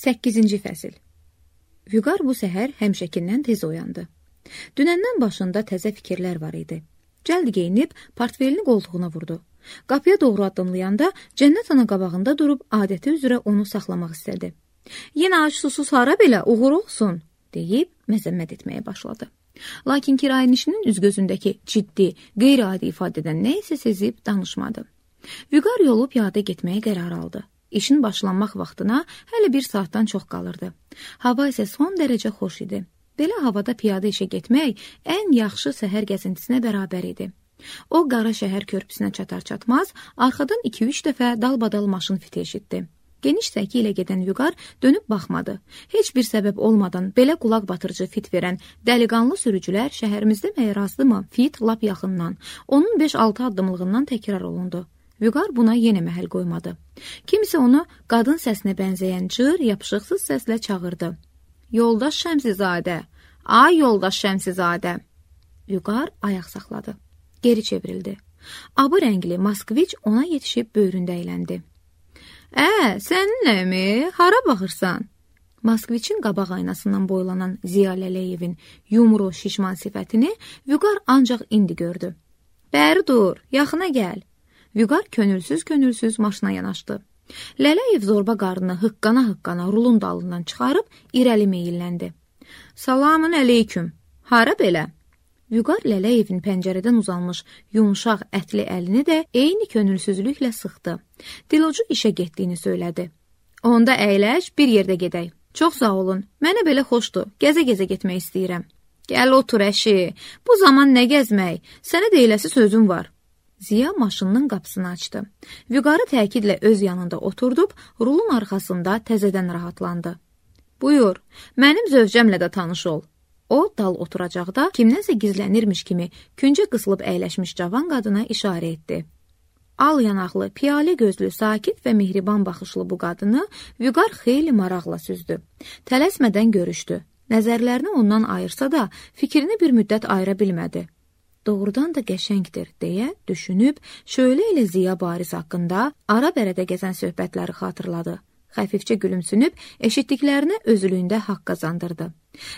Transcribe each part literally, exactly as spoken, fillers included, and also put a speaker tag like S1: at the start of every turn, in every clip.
S1: səkkizinci fəsil. Vüqar bu səhər həmişəkindən tez oyandı. Dünəndən başında təzə fikirlər var idi. Cəld geyinib portfelini qoltuğuna vurdu. Qapıya doğru addımlayanda Cənnət ana qabağında durub adəti üzrə onu saxlamaq istədi. Yenə ac susuz hara belə uğur olsun, deyib məzəmmət etməyə başladı. Lakin kirayənişinin üzgözündəki ciddi, qeyri-adi ifadədən nə isə sezib danışmadı. Vüqar yolu piyada getməyə qərar aldı. İşin başlanmaq vaxtına hələ bir saatdan çox qalırdı. Hava isə son dərəcə xoş idi. Belə havada piyada işə getmək ən yaxşı səhər gəzintisinə bərabər idi. O, qara şəhər körpüsünə çatar-çatmaz, arxadan iki-üç dəfə dalbadal maşın fiti eşitdi. Geniş səki ilə gedən Vüqar dönüb baxmadı. Heç bir səbəb olmadan belə qulaq batırıcı fit verən dəliqanlı sürücülər şəhərimizdə məyər azdımı? Fit lap yaxından, onun beş-altı addımlığından təkrar olundu. Vüqar buna yenə məhəl qoymadı. Kimisi onu qadın səsinə bənzəyən cır, yapışıqsız səslə çağırdı. Yoldaş Şəmsizadə, ay yoldaş Şəmsizadə. Vüqar ayaq saxladı. Geri çevrildi. Abı rəngli Moskviç ona yetişib böyründə əyləndi. Ə, səninləmi? Hara baxırsan? Moskviçin qabaq aynasından boylanan Ziya Lələyevin yumru şişman sifətini Vüqar ancaq indi gördü. Bəri dur, yaxına gəl. Vüqar könülsüz-könülsüz maşına yanaşdı. Lələyev zorba qarnını hıqqana-hıqqana rulun dalından çıxarıb irəli meyilləndi. Salamın əleyküm. Hara belə? Vüqar Lələyevin pəncərədən uzanmış yumuşaq ətli əlini də eyni könülsüzlüklə sıxdı. Dilocu işə getdiyini söylədi. Onda əyləş, bir yerdə gedək. Çox sağ olun, mənə belə xoşdur, gəzə-gəzə getmək istəyirəm. Gəl otur əşi, bu zaman nə gəzmək, sənə deyiləsi sözüm var. Ziya maşınının qapısını açdı. Vüqarı təkidlə öz yanında oturdub, rulun arxasında təzədən rahatlandı. Buyur, mənim zövcəmlə də tanış ol. O, dal oturacaqda kimdənsə gizlənirmiş kimi küncə qısılıb əyləşmiş cavan qadına işarə etdi. Al yanaqlı, piyalə gözlü, sakit və mehriban baxışlı bu qadını Vüqar xeyli maraqla süzdü. Tələsmədən görüşdü. Nəzərlərini ondan ayırsa da fikrini bir müddət ayıra bilmədi. Doğrudan da qəşəngdir, deyə düşünüb, şöyle ilə Ziya Baris haqqında ara-bərədə gəzən söhbətləri xatırladı. Xəfifcə gülümsünüb, eşitdiklərinə özülüyündə haqq qazandırdı.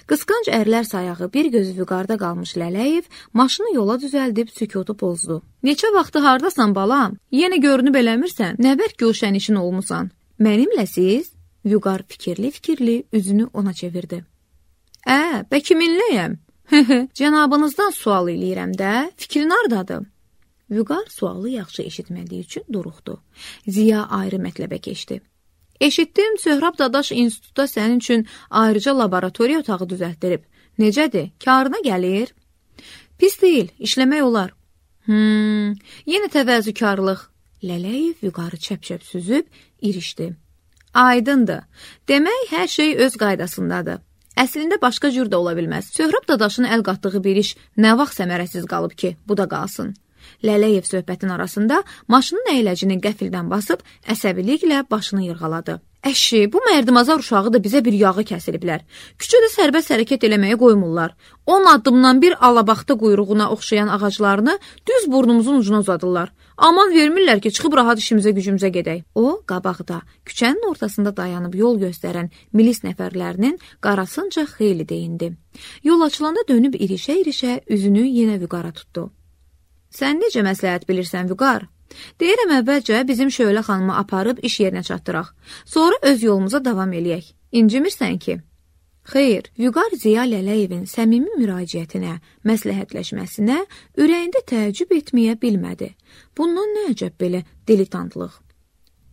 S1: Qısqanc ərlər sayağı bir gözü Vüqarda qalmış Lələyev maşını yola düzəldib sükutu pozdu. Neçə vaxtı hardasan balam? Yenə görünüb eləmirsən? Nə bərk gülşən işin olmusan? Mənimlə siz? Vüqar fikirli-fikirli üzünü ona çevirdi. Ə, bə kiminləyəm? Cənabınızdan sual eləyirəm də, fikrin hardadır? Vüqar sualı yaxşı eşitmədiyi üçün duruxdu. Ziya ayrı mətləbə keçdi. Eşitdim, Söhrab Dadaş institutda sənin üçün ayrıca laboratoriya otağı düzəltdirib. Necədir, karına gəlir? Pis deyil, işləmək olar. Hmm, yenə təvəzzükarlıq. Lələyev Vüqarı çəp-çəp süzüb, irişdi. Aydındır, demək hər şey öz qaydasındadır. Əslində başqa cür də ola bilməz. Söhrab Dadaşın əl qatdığı bir iş nə vaxt səmərəsiz qalıb ki, bu da qalsın. Lələyev söhbətin arasında maşının əyləcini qəfildən basıb əsəbiliklə başını yırğaladı. Əşi, bu mərdimazar uşağı da bizə bir yağı kəsiliblər. Küçədə sərbəst hərəkət eləməyə qoymurlar. on addımdan bir alabaxta quyruğuna oxşayan ağaclarını düz burnumuzun ucuna uzadırlar. Aman vermirlər ki, çıxıb rahat işimizə gücümüzə gedək. O, qabaqda, küçənin ortasında dayanıb yol göstərən milis nəfərlərinin qarasınca xeyli deyindi. Yol açılanda dönüb irişə-irişə üzünü yenə Vüqara tutdu. Sən necə məsləhət bilirsən, Vüqar? Deyirəm əvvəlcə bizim Şölə xanımı aparıb iş yerinə çatdıraq. Sonra öz yolumuza davam eləyək. İncimirsən ki? Xeyr, Vüqar Ziya Lələyevin səmimi müraciətinə, məsləhətləşməsinə ürəyində təəccüb etməyə bilmədi. Bundan nə əcəb belə dilitantlıq?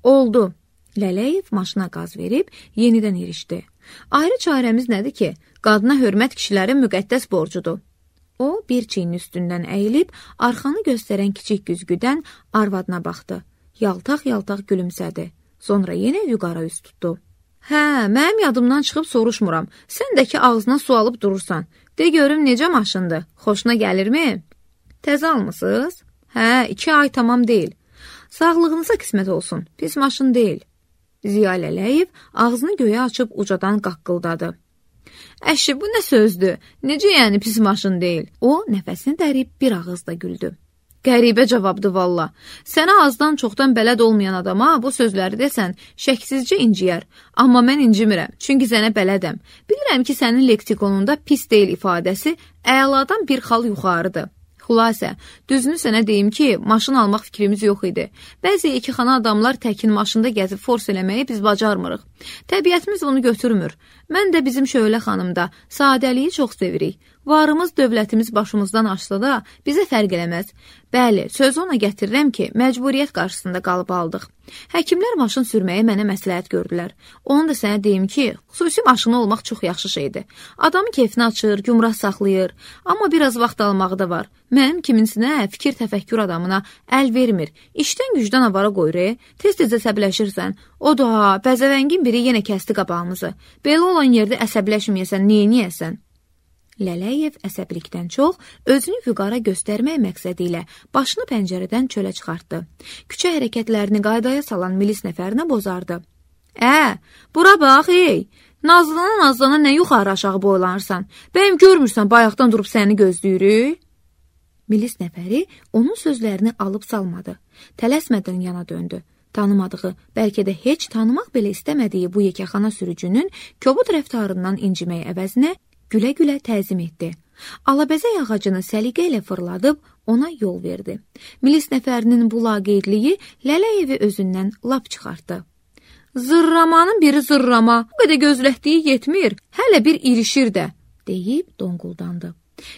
S1: Oldu. Lələyev maşına qaz verib yenidən irişdi. Ayrı çarəmiz nədir ki, qadına hörmət kişilərin müqəddəs borcudur. O, bir çiyinin üstündən əyilib, arxanı göstərən kiçik güzgüdən arvadına baxdı. Yaltaq-yaltaq gülümsədi. Sonra yenə Vüqara üst tutdu. Hə, mənim yadımdan çıxıb soruşmuram. Sən də ki, ağzına su alıb durursan. De görüm necə maşındır? Xoşuna gəlirmi? Təzə almısınız? Hə, iki ay tamam deyil. Sağlığınıza qismət olsun. Pis maşın deyil. Ziya Lələyev ağzını göyə açıb ucadan qaqqıldadı. Əşi, bu nə sözdür? Necə yəni pis maşın deyil? O, nəfəsini dərib bir ağızda güldü. Qəribə cavabdır valla. Sənə azdan çoxdan bələd olmayan adama bu sözləri desən, şəksizcə inciyər. Amma mən incimirəm, çünki sənə bələdəm. Bilirəm ki, sənin leksikonunda pis deyil ifadəsi əladan bir xal yuxarıdır. Xülasə, düzünü sənə deyim ki, maşın almaq fikrimiz yox idi. Bəzi ikixana adamlar təkin maşında gəzib fors eləməyi biz bacarmırıq. Təbiətimiz bunu götürmür. Mən də bizim Şölə xanım da sadəliyi çox sevirik. Varımız, dövlətimiz başımızdan aşsa da bizə fərq eləməz. Bəli, sözü ona gətirirəm ki, məcburiyyət qarşısında qalıb aldıq. Həkimlər maşın sürməyi mənə məsləhət gördülər. Onu da sənə deyim ki, xüsusi maşını olmaq çox yaxşı şeydir. Adamın keyfini açır, gümrah saxlayır. Amma biraz vaxt almağı da var. Mənim kiminsinə fikir təfəkkür adamına əl vermir. İşdən gücdən avara qoyur, tez-tez əsəbləşirsən. O da, bəzəvəngin biri yenə kəsdi qabağımızı. Belə olan yerdə əsəbləşməyəsən, neyniyəsən? Lələyev əsəbilikdən çox özünü Vüqara göstərmək məqsədi ilə başını pəncərədən çölə çıxartdı. Küçə hərəkətlərini qaydaya salan milis nəfərinə bozardı. Ə, bura bax, ey! Nazlana-nazlana nə yuxarı aşağı boylanırsan? Bəyim görmürsən, bayaqdan durub səni gözləyirik? Milis nəfəri onun sözlərini alıb salmadı. Tələsmədən yana döndü. Tanımadığı, bəlkə də heç tanımaq belə istəmədiyi bu yekəxana sürücünün kobud rəftarından incimək əvəzinə gülə-gülə təzim etdi. Alabəzək ağacını səliqə ilə fırladıb ona yol verdi. Milis nəfərinin bu laqeydliyi Lələyevi özündən lap çıxartdı. Zırramanın biri zırrama, bu qədər gözlətdiyi yetmir, hələ bir irişir də, deyib donquldandı.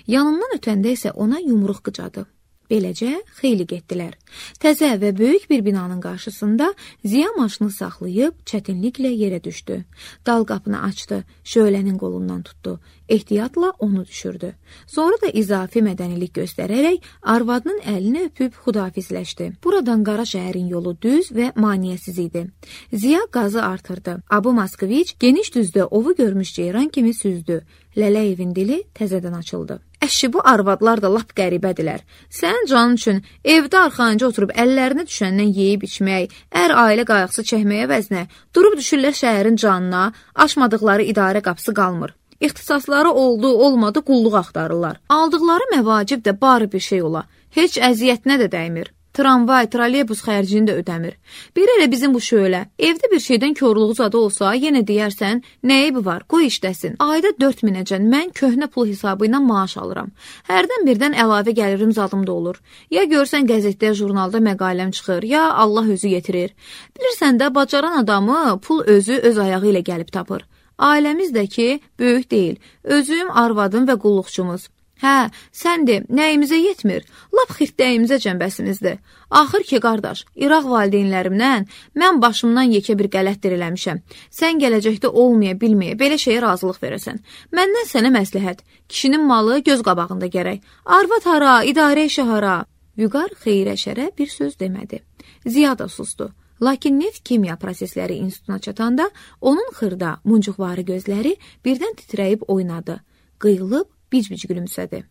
S1: Yanından ötəndə isə ona yumruq qıcadı. Beləcə xeyli getdilər. Təzə və böyük bir binanın qarşısında Ziya maşını saxlayıb çətinliklə yerə düşdü. Dal qapını açdı, Şölənin qolundan tutdu. Ehtiyatla onu düşürdü. Sonra da izafi mədənilik göstərərək arvadının əlini öpüb xudafizləşdi. Buradan Qara şəhərin yolu düz və maniyəsiz idi. Ziya qazı artırdı. Abu Moskoviç geniş düzdə ovu görmüş ceyran kimi süzdü. Lələyevin dili təzədən açıldı. Əşi, bu arvadlar da lap qəribədirlər. Sənin canın üçün evdə arxanca oturub əllərini düşəndən yeyib içmək, ər ailə qayğısı çəkməyə vəzinə, durub düşürlər şəhərin canına, açmadıqları idarə qapısı qalmır. İxtisasları oldu, olmadı, qulluq axtarırlar. Aldıqları məvacib də bari bir şey ola. Heç əziyyətinə də dəymir. Tramvay, trolleybus xərcini də ödəmir. Bir elə bizim bu Şölə, evdə bir şeydən körluğu zadı olsa, yenə deyərsən, nə eybi var, qoy işləsin. Ayda dörd minəcən mən köhnə pul hesabı ilə maaş alıram. Hərdən birdən əlavə gəlirim zadımda olur. Ya görsən qəzetdə, jurnalda məqaləm çıxır, ya Allah özü yetirir. Bilirsən də, bacaran adamı pul özü öz ayağı ilə gəlib tapır. Ailəmiz də ki, böyük deyil. Özüm, arvadım və qulluqçumuz. Hə, səndir, nəyimizə yetmir? Lap xirtdəyimizə cəmbəsimizdir. Axır ki, qardaş, İraq valideynlərimdən mən başımdan yekə bir qələtdir eləmişəm. Sən gələcəkdə olmaya, bilməyə, belə şeyə razılıq verəsən. Məndən sənə məsləhət. Kişinin malı göz qabağında gərək. Arvad hara, idarə işi hara? Vüqar xeyrə şərə bir söz demədi. Ziya da sustu. Lakin neft kimya prosesləri institutuna çatanda onun xırda, muncuqvarı gözləri birdən titrəyib oynadı. Qıyılıb, bic-bic gülümsədi.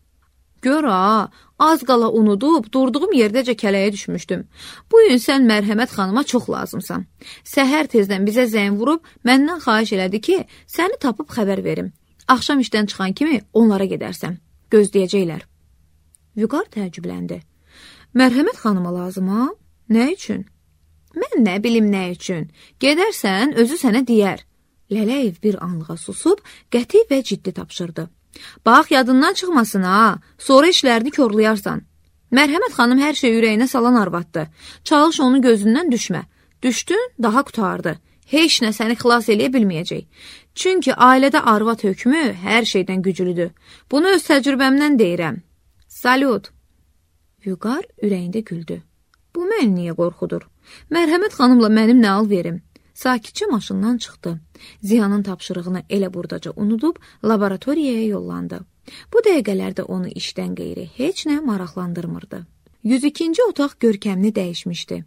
S1: Gör ha, az qala unudub, durduğum yerdəcə kələyə düşmüşdüm. Bu gün sən Mərhəmət xanıma çox lazımsan. Səhər tezdən bizə zəng vurub, məndən xahiş elədi ki, səni tapıb xəbər verim. Axşam işdən çıxan kimi onlara gedərsən. Gözləyəcəklər. Vüqar təəccübləndi. Mərhəmət xanıma lazım ha? Nə üçün? Mən nə bilim nə üçün. Gedərsən, özü sənə deyər. Lələyev bir anlığa susub, qəti və ciddi tapşırdı. Bax, yadından çıxmasın ha, sonra işlərini körləyərsən. Mərhəmət xanım hər şey ürəyinə salan arvaddır. Çalış onun gözündən düşmə. Düşdün, daha qutardı. Heç nə səni xilas eləyə bilməyəcək. Çünki ailədə arvad hökmü hər şeydən güclüdür. Bunu öz təcrübəmdən deyirəm. Salut. Vüqar ürəyində güldü. Bu məni niyə qorxudur? Mərhəmət xanımla mənim nə al verim? Sakitcə maşından çıxdı. Ziyanın tapşırığını elə buradaca unudub laboratoriyaya yollandı. Bu dəqiqələrdə onu işdən qeyri heç nə maraqlandırmırdı. yüz ikinci otaq görkəmini dəyişmişdi.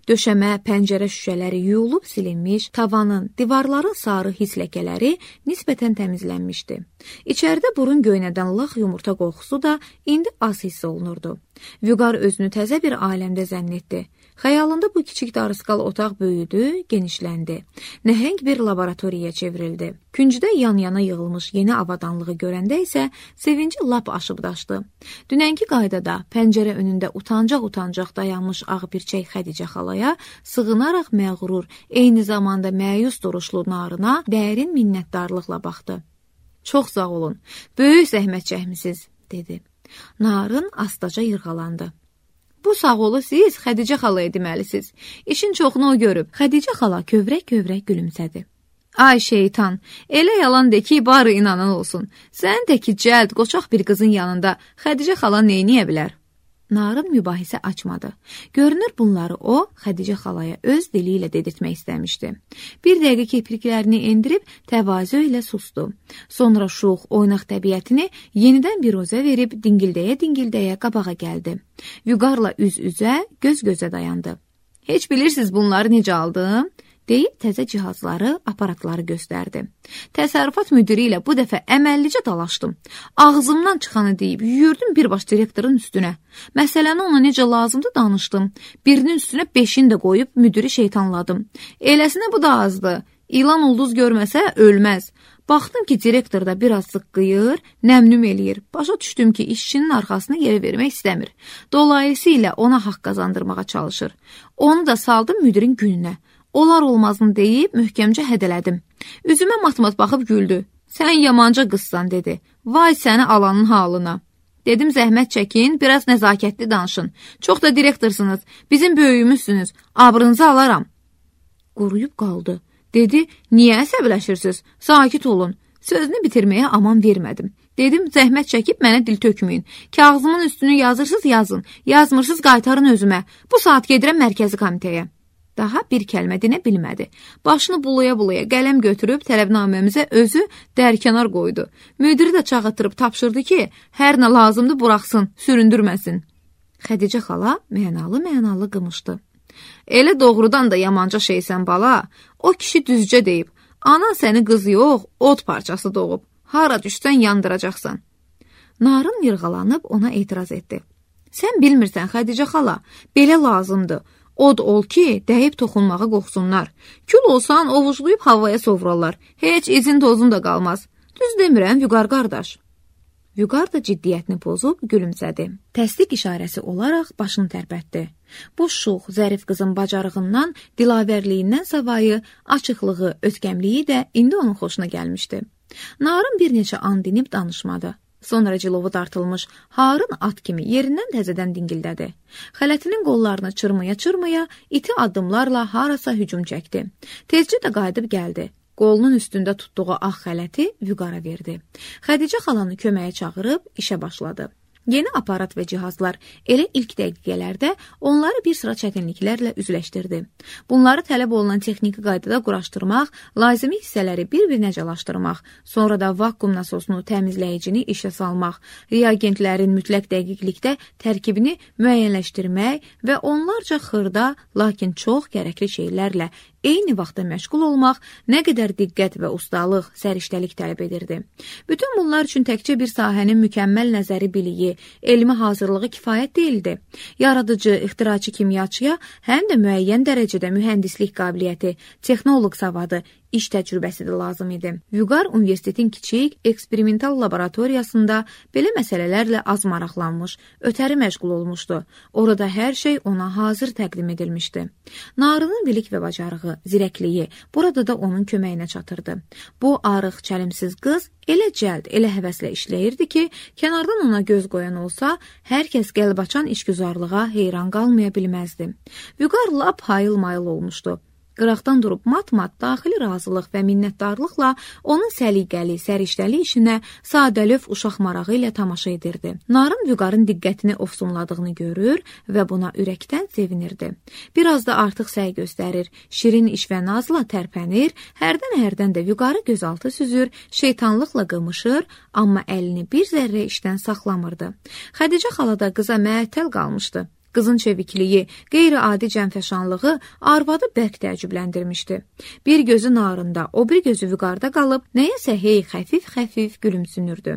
S1: Döşəmə, pəncərə şüşələri yuyulub silinmiş, tavanın, divarların sarı his ləkələri nisbətən təmizlənmişdi. İçəridə burun göynədən lax yumurta qoxusu da indi az hiss olunurdu. Vüqar özünü təzə bir aləmdə zənn etdi. Xəyalında bu kiçik darısqal otaq böyüdü, genişləndi. Nəhəng bir laboratoriyaya çevrildi. Küncdə yan-yana yığılmış yeni avadanlığı görəndə isə sevinci lap aşıb daşdı. Dünənki qaydada pəncərə önündə utancaq-utancaq dayanmış ağbirçək Xədicə xalaya sığınaraq məğrur, eyni zamanda məyus duruşlu Narına dərin minnətdarlıqla baxdı. Çox sağ olun, böyük zəhmət çəkmisiniz, dedi. Narın astaca yırğalandı. Bu sağ olu siz Xədicə xalaya deməlisiniz. İşin çoxunu o görüb. Xədicə xala kövrək-kövrək gülümsədi. Ay şeytan, elə yalan de ki, barı inanan olsun. Sən də ki, cəld, qoçaq bir qızın yanında Xədicə xala neyniyə bilər? Narın mübahisə açmadı. Görünür bunları o, Xədicə xalaya öz dili ilə dedirtmək istəmişdi. Bir dəqiqə kirpiklərini endirib təvazö ilə sustu. Sonra şux, oynaq təbiətini yenidən bir rozə verib dingildəyə-dingildəyə qabağa gəldi. Vüqarla üz-üzə, göz-gözə dayandı. Heç bilirsiniz bunları necə aldım? Deyib təzə cihazları, aparatları göstərdi. Təsərrüfat müdiri ilə bu dəfə əməllicə dalaşdım. Ağzımdan çıxanı deyib, yüyürdüm birbaş direktorun üstünə. Məsələni ona necə lazımdı danışdım. Birinin üstünə beşini də qoyub müdiri şeytanladım. Eləsinə bu da azdı. İlan ulduz görməsə ölməz. Baxdım ki, direktor da biraz zıqqıyır, nəmnüm eləyir. Başa düşdüm ki, işçinin arxasını yerə vermək istəmir. Dolayısıyla ona haqq qazandırmağa çalışır. Onu da saldım müdirin gününə. Olar olmazını deyib möhkəmcə hədələdim. Üzümə mat-mat baxıb güldü. Sən yamanca qızsan, dedi. Vay səni alanın halına. Dedim zəhmət çəkin, biraz nəzakətli danışın. Çox da direktorsunuz, bizim böyüyümüzsünüz, abrınızı alaram. Quruyub qaldı. Dedi, niyə əsəbləşirsiniz? Sakit olun. Sözünü bitirməyə aman vermədim. Dedim, zəhmət çəkib mənə dil tökməyin. Kağızımın üstünü yazırsınız, yazın. Yazmırsınız, qaytarın özümə. Bu saat gedirəm mərkəzi komitəyə. Daha bir kəlmə dinə bilmədi. Başını bulaya-bulaya qələm götürüb tələbnaməmizə özü dərkənar qoydu. Müdiri də çağatırıb tapşırdı ki, hər nə lazımdır buraxsın, süründürməsin. Xədicə xala mənalı-mənalı qımışdı. Elə doğrudan da yamanca şeysən bala. O kişi düzcə deyib. Anan səni qız yox, od parçası doğub. Hara düşsən yandıracaqsan. Narın yırğalanıb ona etiraz etdi. Sən bilmirsən Xədicə xala, belə lazımdır. Od ol ki, dəyib toxunmağa qorxsunlar. Kül olsan, ovuclayıb havaya sovrarlar. Heç izin tozun da qalmaz. Düz demirəm, Vüqar qardaş. Vüqar da ciddiyyətini pozub gülümsədi. Təsdiq işarəsi olaraq başını tərpətdi. Bu şux, zərif qızın bacarığından, dilavərliyindən savayı, açıqlığı, ötkəmliyi də indi onun xoşuna gəlmişdi. Narın bir neçə an dinib danışmadı. Sonra cilovu dartılmış Harın at kimi yerindən təzədən dingildədi. Xələtinin qollarını çırmaya-çırmaya iti addımlarla harasa hücum çəkdi. Tezcə də qayıdıb gəldi. Qolunun üstündə tutduğu ağ xələti Vüqara verdi. Xədicə xalanı köməyə çağırıb işə başladı. Yeni aparat və cihazlar elə ilk dəqiqələrdə onları bir sıra çətinliklərlə üzləşdirdi. Bunları tələb olunan texniki qaydada quraşdırmaq, lazımi hissələri bir-birinə cəlaşdırmaq, sonra da vakuum nasosunu təmizləyicini işə salmaq, reagentlərin mütləq dəqiqlikdə tərkibini müəyyənləşdirmək və onlarca xırda, lakin çox gərəkli şeylərlə eyni vaxtda məşğul olmaq nə qədər diqqət və ustalıq, səriştəlik tələb edirdi. Bütün bunlar üçün təkcə bir sahənin mükəmməl nəzəri biliyi, elmi hazırlığı kifayət deyildi. Yaradıcı, ixtiraçı kimyaçıya həm də müəyyən dərəcədə mühəndislik qabiliyyəti, texnoloq savadı, iş təcrübəsi də lazım idi. Vüqar Universitetin kiçik, eksperimental laboratoriyasında belə məsələlərlə az maraqlanmış, ötəri məşğul olmuşdu. Orada hər şey ona hazır təqdim edilmişdi. Narının bilik və bacarığı, zirəkliyi burada da onun köməyinə çatırdı. Bu arıq, çəlimsiz qız elə cəld, elə həvəslə işləyirdi ki, kənardan ona göz qoyan olsa, hər kəs qəlbaçan işgüzarlığa heyran qalmaya bilməzdi. Vüqar lap hayıl-mayıl olmuşdu. Qıraqdan durub mat-mat daxili razılıq və minnətdarlıqla onun səliqəli, səriştəli işinə sadəlöv uşaq marağı ilə tamaşa edirdi. Narın Vüqarın diqqətini ofsumladığını görür və buna ürəkdən sevinirdi. Biraz da artıq səy göstərir, şirin iş və nazla tərpənir, hərdən-hərdən də Vüqarı gözaltı süzür, şeytanlıqla qımışır, amma əlini bir zərrə işdən saxlamırdı. Xədicə xala da qıza məəttəl qalmışdı. Qızın çevikliyi, qeyri-adi cənfəşanlığı arvadı bərk təəccübləndirmişdi. Bir gözü narında, o bir gözü Vüqarda qalıb, nəyəsə hey xəfif-xəfif gülümsünürdü.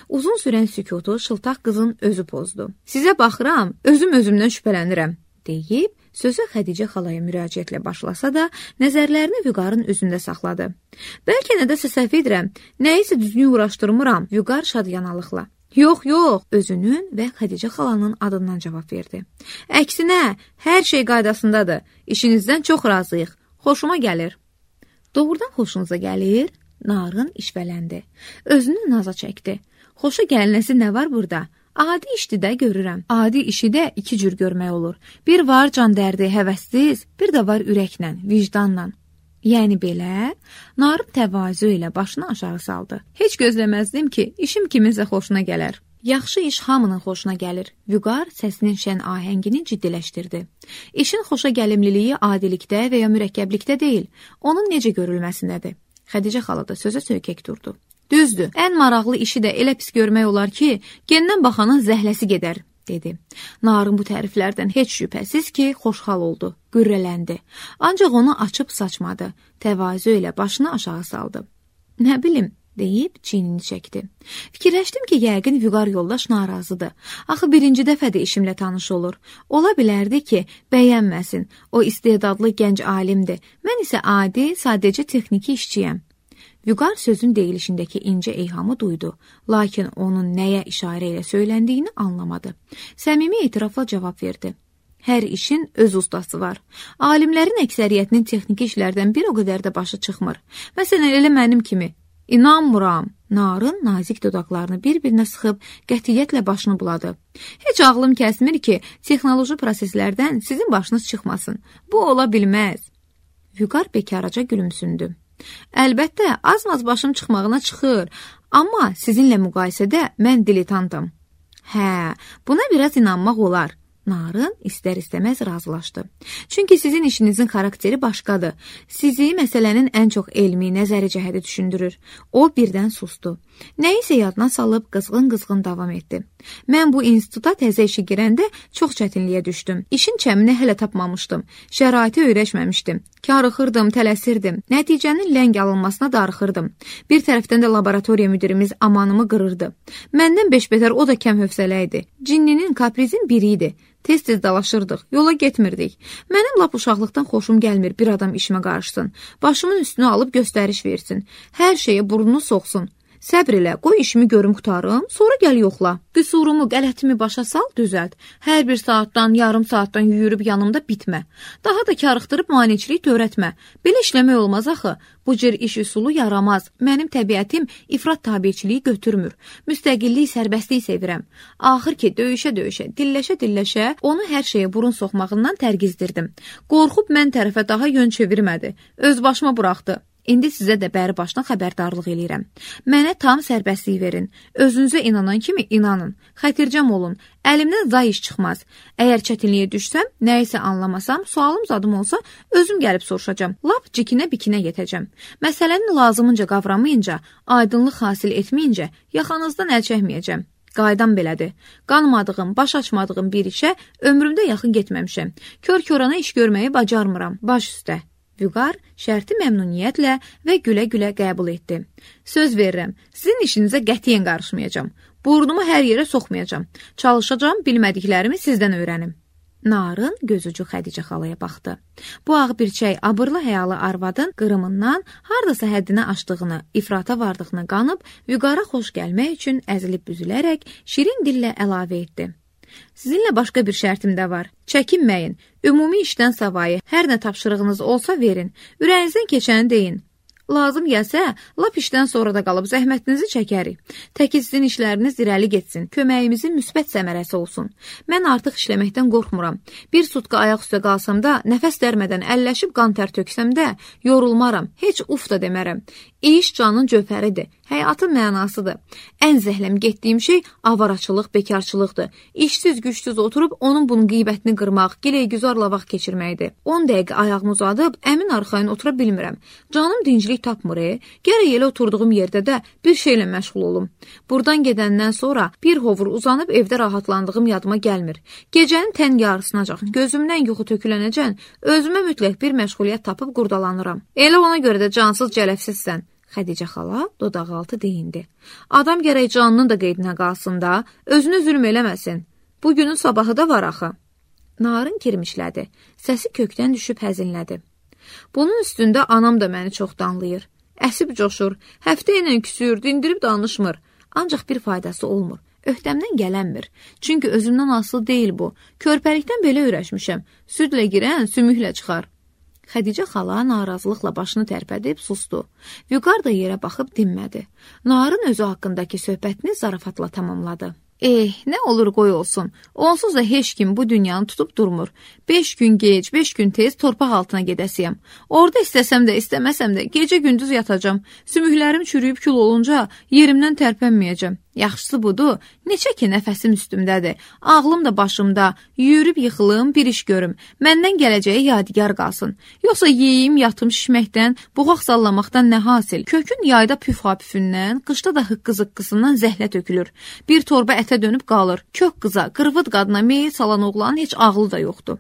S1: Uzun sürən sükutu şıltaq qızın özü pozdu. Sizə baxıram, özüm özümdən şübhələnirəm, deyib Sözü Xədicə xalaya müraciətlə başlasa da, nəzərlərini Vüqarın üzündə saxladı. Bəlkə nədəsə səhv edirəm, nəyisə düzgün uğraşdırmıram, Vüqar şadyanalılıqla. Yox, yox, özünün və Xədicə xalanın adından cavab verdi. Əksinə, hər şey qaydasındadır, işinizdən çox razıyıq, xoşuma gəlir. Doğrudan xoşunuza gəlir? Narın işvələndi. Özünü naza çəkdi. Xoşa gəlinəsi nə var burada? Adi işdi də görürəm. Adi işi də iki cür görmək olur. Bir var can dərdi, həvəssiz, bir də var ürəklə, vicdanla. Yəni belə, Narın təvazö ilə başını aşağı saldı. Heç gözləməzdim ki, işim kiminsə xoşuna gələr. Yaxşı iş hamının xoşuna gəlir. Vüqar səsinin şən ahəngini ciddiləşdirdi. İşin xoşa gəlimliliyi adilikdə və ya mürəkkəblikdə deyil, onun necə görülməsindədir. Xədicə xala da sözə söykək durdu. Düzdür, ən maraqlı işi də elə pis görmək olar ki, gendən baxanın zəhləsi gedər, dedi. Narın bu təriflərdən heç şübhəsiz ki, xoşhal oldu, qürrələndi. Ancaq onu açıb saçmadı, təvazö ilə başını aşağı saldı. Nə bilim, deyib çiynini çəkdi. Fikirləşdim ki, yəqin Vüqar yoldaş narazıdır. Axı birinci dəfədə işimlə tanış olur. Ola bilərdi ki, bəyənməsin. O istedadlı gənc alimdir. Mən isə adi, sadəcə texniki işçiyəm. Vüqar sözün deyilişindəki incə eyhamı duydu, lakin onun nəyə işarə ilə söyləndiyini anlamadı. Səmimi etirafla cavab verdi. Hər işin öz ustası var. Alimlərin əksəriyyətinin texniki işlərdən bir o qədər də başı çıxmır. Məsələn, elə mənim kimi. İnanmıram. Narın nazik dodaqlarını bir-birinə sıxıb qətiyyətlə başını buladı. Heç ağlım kəsmir ki, texnoloji proseslərdən sizin başınız çıxmasın. Bu ola bilməz. Vüqar bekaraca gülümsündü. Əlbəttə, az-maz başım çıxmağına çıxır, amma sizinlə müqayisədə mən diletantam. Hə, buna biraz inanmaq olar. Narın istər-istəməz razılaşdı. Çünki sizin işinizin xarakteri başqadır. Sizi məsələnin ən çox elmi, nəzəri cəhədi düşündürür. O birdən sustu. Nəyisə yadına salıb qızğın-qızğın davam etdi. Mən bu instituta təzə işə girəndə çox çətinliyə düşdüm. İşin çəmini hələ tapmamışdım. Şəraiti öyrəşməmişdim. Karıxırdım, tələsirdim. Nəticənin ləng alınmasına darıxırdım. Bir tərəfdən də laboratoriya müdirimiz amanımı qırırdı. Məndən beş-betər o da kəm hövsələ idi. Cinninin, kaprizin biri idi. Tez-tez dalaşırdıq, yola getmirdik. Mənim lap uşaqlıqdan xoşum gəlmir bir adam işimə qarışsın. Başımın üstünü alıb göstəriş versin. Hər şeyə burnunu soxsun. Səbr elə, qoy işimi görüm qutarım, sonra gəl yoxla. Qüsurumu, qələtimi başa sal, düzəlt. Hər bir saatdan, yarım saatdan yüyürüb yanımda bitmə. Daha da karıxdırıb maneçilik törətmə. Belə işləmək olmaz axı. Bu cür iş üsulu yaramaz. Mənim təbiətim ifrat tabiçiliyi götürmür. Müstəqillik, sərbəstlik sevirəm. Axır ki, döyüşə-döyüşə, dilləşə-dilləşə onu hər şeyə burun soxmağından tərgizdirdim. Qorxub mən tərəfə daha yön çevirmədi. Öz başıma buraxdı. İndi sizə də bəri başdan xəbərdarlıq eləyirəm. Mənə tam sərbəstlik verin. Özünüzə inanan kimi inanın. Xətircəm olun. Əlimdən zay iş çıxmaz. Əgər çətinliyə düşsəm, nəyisə anlamasam, sualım zadım olsa, özüm gəlib soruşacam. Lap cikinə-bikinə yetəcəm. Məsələni lazımınca qavramayınca, aydınlıq hasil etməyincə, yaxanızdan əl çəkməyəcəm. Qaydam belədir. Qanmadığım, baş açmadığım bir işə ömrümdə yaxın getməmişəm. Kör-körana iş görməyi bacarmıram. Baş üstə. Vüqar şərti məmnuniyyətlə və gülə-gülə qəbul etdi. Söz verirəm, sizin işinizə qətiyyən qarışmayacağam. Burnumu hər yerə soxmayacağam. Çalışacağam, bilmədiklərimi sizdən öyrənim. Narın gözücü Xədicə xalaya baxdı. Bu ağ birçək, abırlı həyalı arvadın qırımından hardasa həddini aşdığını, ifrata vardığını qanıb, Vüqara xoş gəlmək üçün əzilib büzülərək şirin dillə əlavə etdi. Sizinlə başqa bir şərtim də var. Çəkinməyin. Ümumi işdən savayı hər nə tapşırığınız olsa verin. Ürəyinizdən keçəni deyin. Lazım gəlsə, lap işdən sonra da qalıb zəhmətinizi çəkərik. Təki sizin işləriniz irəli getsin, köməyimizin müsbət səmərəsi olsun. Mən artıq işləməkdən qorxmuram. Bir sutka ayaq üstə qalsam da, nəfəs dərmədən əlləşib qan tər töksəm də, yorulmaram, heç uf da demərəm. İş canın cövhəridir, həyatın mənasıdır. Ən zəhləm getdiyim şey avaraçılıq, bekarçılıqdır. İşsiz, gücsüz oturub onun bunun qeybətini qırmaq, giləy-güzarla vaxt keçirməkdir. on dəqiqə ayağımı uzadıb, əmin arxayın otura bilmirəm. Canım dinclik tapmır, e? Gərək elə oturduğum yerdə də bir şeylə məşğul olum. Buradan gedəndən sonra bir hovur uzanıb evdə rahatlandığım yadıma gəlmir. Gecənin tən yarısınacaq, gözümdən yuxu tökülənəcən, özümə mütləq bir məşğuliyyət tapıb qurdalanıram. Elə ona görə də cansız cələfsizsən. Xədicə xala dodaqaltı deyindi. Adam gərək canının da qeydinə qalsın da, özünü zülm eləməsin. Bu günün sabahı da var axı. Narın kirmişlədi. Səsi kökdən düşüb həzinlədi. Bunun üstündə anam da məni çox danlayır. Əsib coşur, həftə ilə küsür, dindirib danışmır. Ancaq bir faydası olmur. Öhdəmdən gələnmir. Çünki özümdən asılı deyil bu. Körpəlikdən belə öyrəşmişəm. Südlə girən sümüklə çıxar. Xədicə xala narazılıqla başını tərpədib sustu. Vüqar da yerə baxıb dinmədi. Narın özü haqqındakı söhbətini zarafatla tamamladı. Eh, nə olur qoy olsun. Onsuz da heç kim bu dünyanı tutub durmur. Beş gün gec, beş gün tez torpaq altına gedəsiyəm. Orada istəsəm də, istəməsəm də gecə gündüz yatacam. Sümüklərim çürüyüb kül olunca yerimdən tərpənməyəcəm. Yaxşısı budur, neçə ki nəfəsim üstümdədir. Ağlım da başımda, yürüb yıxılım, bir iş görüm. Məndən gələcəyi yadigar qalsın. Yoxsa yeyim, yatım şişməkdən, buğaq sallamaqdan nə hasil? Kökün yayda püf-hapüfündən, qışda da hıqqı-zıqqısından zəhlət tökülür. Bir torba ətə dönüb qalır. Kök qıza, qırvıd qadına meyil salan oğlanın heç ağlı da yoxdur.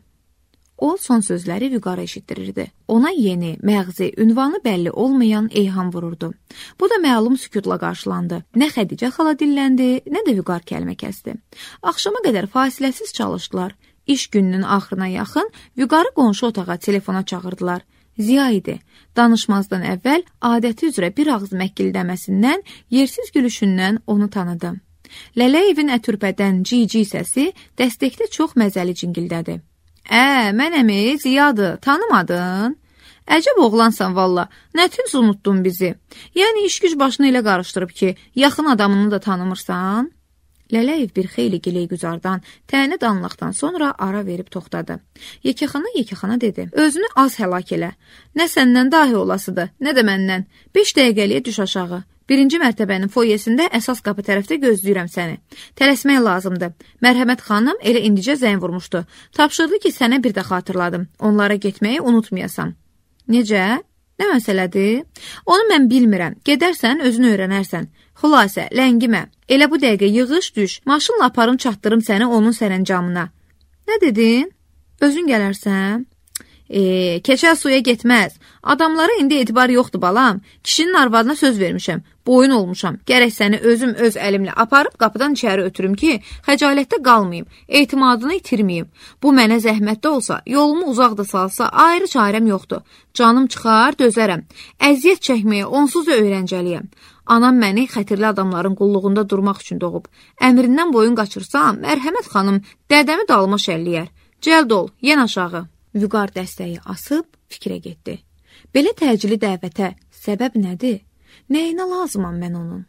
S1: O son sözləri Vüqara eşitdirirdi. Ona yeni, məğzi, ünvanı bəlli olmayan eyham vururdu. Bu da məlum sükutla qarşılandı. Nə Xədicə xala dilləndi, nə də Vüqar kəlmə kəsdi. Axşama qədər fasiləsiz çalışdılar. İş gününün axırına yaxın Vüqarı qonşu otağa telefona çağırdılar. Ziya idi. Danışmazdan əvvəl adəti üzrə bir ağız məkkildəməsindən, yersiz gülüşündən onu tanıdı. Lələyevin ətürpədən cici səsi dəstəkdə çox məzəli cingildədi. Ə, mənəmi, Ziyadır, tanımadın? Əcəb oğlansan valla, nətins unuttun bizi. Yəni iş güc başını elə qarışdırıb ki, yaxın adamını da tanımırsan? Lələyev bir xeyli giley güzardan, təni danlaqdan sonra ara verib toxtadı. Yekəxana yekəxana dedi, özünü az həlak elə. Nə səndən dahi olasıdır, nə də məndən. Beş dəqiqəliyə düş aşağı. Birinci mərtəbənin foyesində əsas qapı tərəfdə gözləyirəm səni. Tələsmək lazımdır. Mərhəmət xanım elə indicə zəng vurmuşdu. Tapşırdı ki, sənə bir də xatırladım. Onlara getməyi unutmayasan. Necə? Nə məsələdir? Onu mən bilmirəm. Gedərsən, özünü öyrənərsən. Xülasə, ləngimə. Elə bu dəqiqə yığış düş. Maşınla aparım çatdırım səni onun sərəncamına. Nə dedin? Özün gələrsən? Eee, keçər suya getməz. Adamlara indi etibar yoxdur balam. Kişinin arvadına söz vermişəm. Boyun olmuşam. Gərək səni özüm öz əlimlə aparıb qapıdan içəri ötürüm ki, xəcalətdə qalmayım, etimadını itirməyim. Bu mənə zəhmətdə olsa, yolumu uzaq da salsa, ayrı çarəm yoxdur. Canım çıxar, dözərəm. Əziyyət çəkməyə onsuz da öyrəncəliyəm. Anam məni xətirli adamların qulluğunda durmaq üçün doğub. Əmrindən boyun qaçırsam, mərhəmət xanım dədəmi dalıma şəlliyər. Cəld ol, yen aşağı. Vüqar dəstəyi asıb fikrə getdi. Belə təcili dəvətə səbəb nədir? Nəyinə lazımam mən onun?